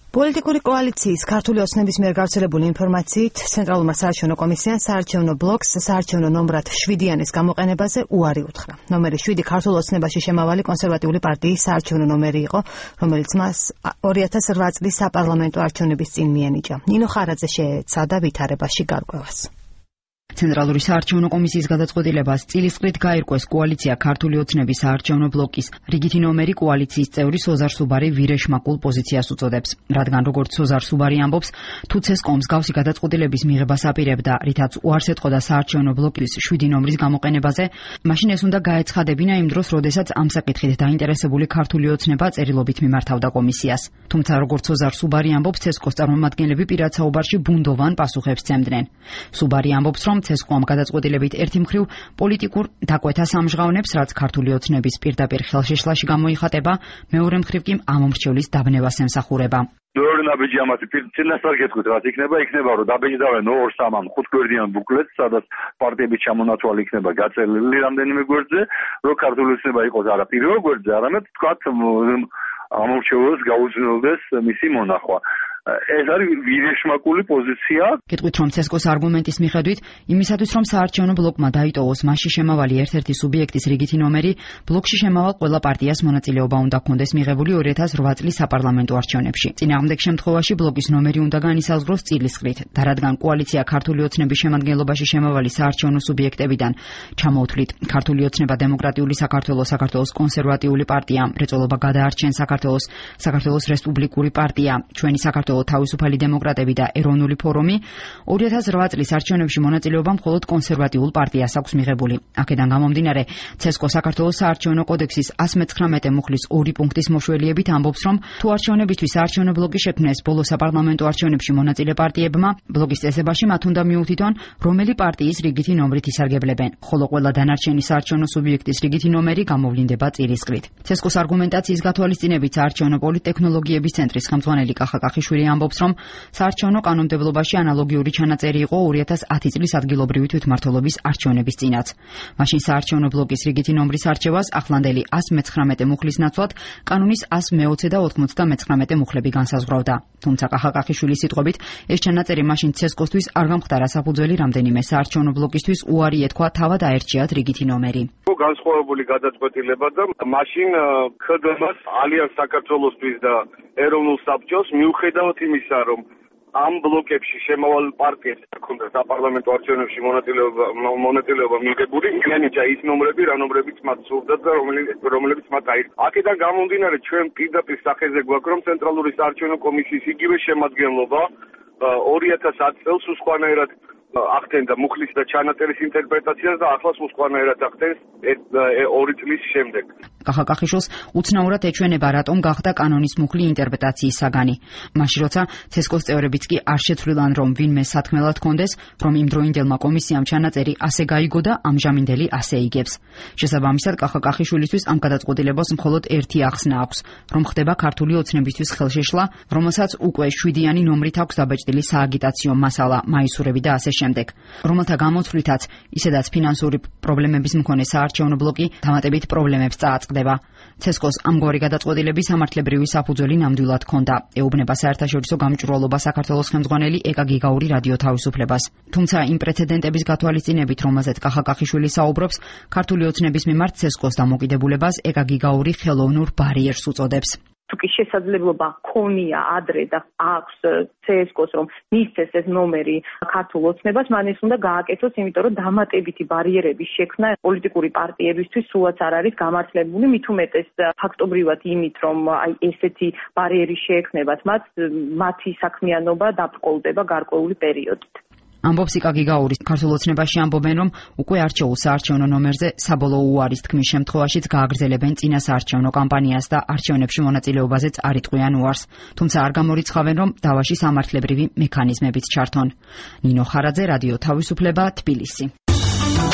პოლიტიკური კოალიციის ქართული ოცნების მიერ გავრცელებული ინფორმაციით ცენტრალურმა საარჩევნო კომისიამ საარჩევნო ბლოკს საარჩევნო ნომრად 7-იანის გამოყენებაზე უარი უთხრა. ნომერი 7 ქართულ ოცნებაში შემავალი კონსერვატიული პარტიის საარჩევნო ნომერი იყო, რომელიც მას 2008 წლის საპარლამენტო არჩევნების წინ მიენიჭა. ნინო ხარაძე შეეცადა ვითარებაში გარკვევას. ცენტრალური საარჩევნო კომისიის გადაწყვეტილებას წილისყრით გაირკვეს კოალიცია ქართული ოცნების საარჩევნო ბლოკის რიგითი ნომერი კოალიციის წევრი სოზარ სუბარი ვირეშმაკულ პოზიციას უწოდებს. რადგან როგორც სოზარ სუბარი ამბობს, თუ ცესკომ მსგავსი გადაწყვეტილების მიღებას აპირებდა, რითაც უარს ეთყოდა საარჩევნო ბლოკის 7 ნომრის გამოყენებაზე, მაშინ ეს უნდა გაეცხადებინა იმ დროს, როდესაც ამ საკითხით დაინტერესებული ქართული ოცნება წერილობით მიმართავდა კომისიას. თუმცა როგორც სოზარ სუბარი ამბობს, ცესკოს წარმომადგენლები პირად საუბარში ბუნდოვან პასუხებს სცემდნენ. სუბარი ამბობს, რომ ცესკომ გადაწყვეტილებით ერთი მხრივ პოლიტიკურ დაკვეთას ამჟღავნებს, რაც ქართული ოცნების პირდაპირ ხელშეშლაში გამოიხატება, მეორე მხრივ კი ამომრჩევლის დაბნევას ემსახურება. Მეორე ნაბიჯი ამათი წინასწარ გეტყვით, რაც იქნება, რომ დაბეჭდავენ 2-3 5-გვერდიან ბუკლეტს, სადაც პარტიების ჩამონათვალი იქნება გაწელილი რამდენიმე გვერდზე, რომ ქართული ოცნება იყოს არა პირველ გვერდზე, არამედ თქვათ ამომრჩევლებს გაუძნელდეს მისი მონახვა. ეს არის ვირეშმაკული პოზიცია. გეტყვით, რომ ცესკოს არგუმენტის მიხედვით, იმისათვის რომ საარჩევნო ბლოკმა დაიტოვოს მასში შემავალი ერთ-ერთი სუბიექტის რიგითი ნომერი, ბლოკში შემავალ ყველა პარტიას მონაწილეობა უნდა ჰქონდეს მიღებული 2008 წლის საპარლამენტო არჩევნებში. წინააღმდეგ შემთხვევაში ბლოკის ნომერი უნდა განისაზღვროს წილისყრით და რადგან კოალიცია ქართული ოცნების შემადგენლობაში შემავალი საარჩევნო სუბიექტებიდან ჩამოუთვლით ქართული ოცნება დემოკრატიული საქართველოს კონსერვატიული პარტია, მრეწველობა გადაარჩენ საქართველოს რესპუბლიკური პარტია, ჩვენი საქართველოს თავისუფალი დემოკრატები და ეროვნული ფორუმი 2008 წლის არჩევნებში მონაწილეობა მხოლოდ კონსერვატიულ პარტიას აქვს მიღებული. აქედან გამომდინარე, ცესკო საქართველოს საარჩევნო კოდექსის 119 მუხლის 2 პუნქტის მოშველიებით ამბობს, რომ თუ არჩევნებისთვის საარჩევნო ბლოკი შექმნეს ბოლო საპარლამენტო არჩევნებში მონაწილე პარტიებმა, ბლოკის წესებაში მათ უნდა მიუთითონ, რომელი პარტიის რიგითი ნომრით ისარგებლებენ, ხოლო ყველა დანარჩენი საარჩევნო სუბიექტის რიგითი ნომერი გამოვლინდება წილისყრით. ცესკოს არგუმენტაციის გათვალისწინებით საარჩევნო პოლიტექნოლოგიების ცენტრის ხელმძღვანელი კახა კახიშვილი ამბობს, რომ საარჩევნო კანონმდებლობაში ანალოგიური ჩანაწერი იყო 2010 წლის ადგილობრივი თვითმმართველობის არჩევნების წინაც. მაშინ საარჩევნო ბლოკის რიგითი ნომრის არჩევას ახლანდელი 119 მუხლის ნაცვლად კანონის 120 და 99 მუხლები განსაზღვრავდა. თუმცა კახა კახიშვილის სიტყვებით, ეს ჩანაწერი მაშინ ცესკოსთვის არ გამხდარა საფუძველი რამდენიმე საარჩევნო ბლოკისთვის უარი ეთქვა თავად აერჩიათ რიგითი ნომერი. განსხვავებული გადაწყვეტილება და მაშინ ხედავს ალიანს საქართველოსთვის და ეროვნულ საბჭოს მიუხედავად იმისა, რომ ამ ბლოკებში შემავალ პარტიებს ჰქონდა საპარლამენტო არჩევნებში მონაწილეობა მიღებული, მიანიჭა ის ნომრები, რა ნომრებიც მათ სურდათ და რომლებიც მათ აირჩიეს. აქედან გამომდინარე, ჩვენ პირდაპირ სახეზე გვაქვს, რომ ცენტრალური საარჩევნო კომისიის იგივე შემადგენლობა 2010 წელს სხვანაირად ახდენდა მუხლის და ჩანაწერის ინტერპრეტაციას და ახლა სხვანაირად ახდენს 2 წლის შემდეგ. კახა კახიშვილს უცნაურად ეჩვენება, რატომ გახდა კანონის მუხლი ინტერპრეტაციის საგანი. მაშინ როცა ცესკოს წევრებიც კი არ შეცვლილან, რომ ვინმე სათქმელად ჰქონდეს, რომ იმდროინდელმა კომისიამ ჩანაწერი ასე გაიგო და ამჟამინდელი ასე იგებს. შესაბამისად, კახა კახიშვილისთვის ამ გადაწყვეტილებას მხოლოდ ერთი ახსნა აქვს, რომ ხდება ქართული ოცნებისთვის ხელშეშლა, რომელსაც უკვე 7-იანი ნომრით აქვს დაბეჭდილი სააგიტაციო მასალა, მაისურები და ასე შემდეგ, რომელთა გამოცვლითაც ისედაც ფინანსური პრობლემების მქონე საარჩევნო ბლოკი დამატებით პრობლემებს წააწყდება. ცესკოს ამგვარი გადაწყვეტილების სამართლებრივი საფუძველი ნამდვილად ჰქონდა, ეუბნება საერთაშორისო გამჭვირვალობა საქართველოს ხელმძღვანელი ეკა გიგაური რადიო თავისუფლებას. თუმცა იმ პრეცედენტების გათვალისწინებით, რომელზეც კახა კახიშვილი საუბრობს, ქართული ოცნების მიმართ ცესკოს დამოკიდებულებას ეკა გიგაური ხელოვნურ ბარიერს უწოდებს. თუ კი შესაძლებლობა ქონია ადრე და აქვს ცესკოს, რომ მისცეს ეს ნომერი ქართულ ოცნებას, მან ეს უნდა გააკეთოს, იმიტომ რომ დამატებითი ბარიერების შექმნა პოლიტიკური პარტიებისთვის სულაც არ არის გამართლებული, მით უმეტეს ფაქტობრივად იმით, რომ ესეთი ბარიერი შეექმნებათ მათი საქმიანობა დაბრკოლდება გარკვეული პერიოდით. ამბობს იკა გიგაური. ქართულ ოცნებაში ამბობენ, რომ უკვე არჩეულ საარჩევნო ნომერზე საბოლოო უარის თქმის შემთხვევაშიც გააგრძელებენ წინა საარჩევნო კამპანიას და არჩევნებში მონაწილეობაზეც არ იტყვიან უარს. თუმცა არ გამორიცხავენ, რომ დავაში სამართლებრივი მექანიზმებიც ჩართონ. ნინო ხარაძე, რადიო თავისუფლება, თბილისი.